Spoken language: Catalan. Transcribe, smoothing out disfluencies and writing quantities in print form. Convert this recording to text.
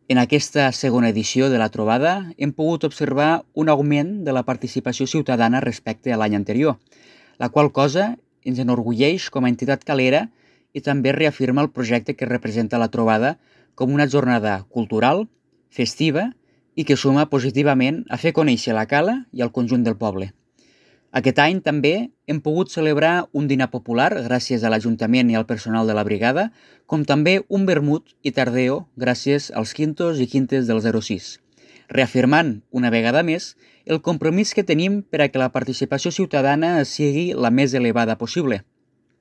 En aquesta segona edició de la trobada hem pogut observar un augment de la participació ciutadana respecte a l'any anterior, la qual cosa ens enorgulleix com a entitat calera i també reafirma el projecte que representa la trobada com una jornada cultural, festiva i que suma positivament a fer conèixer la cala i el conjunt del poble. Aquest any també hem pogut celebrar un dinar popular gràcies a l'Ajuntament i al personal de la brigada, com també un vermut i tardeo gràcies als quintos i quintes del 06, reafirmant una vegada més el compromís que tenim per a que la participació ciutadana sigui la més elevada possible.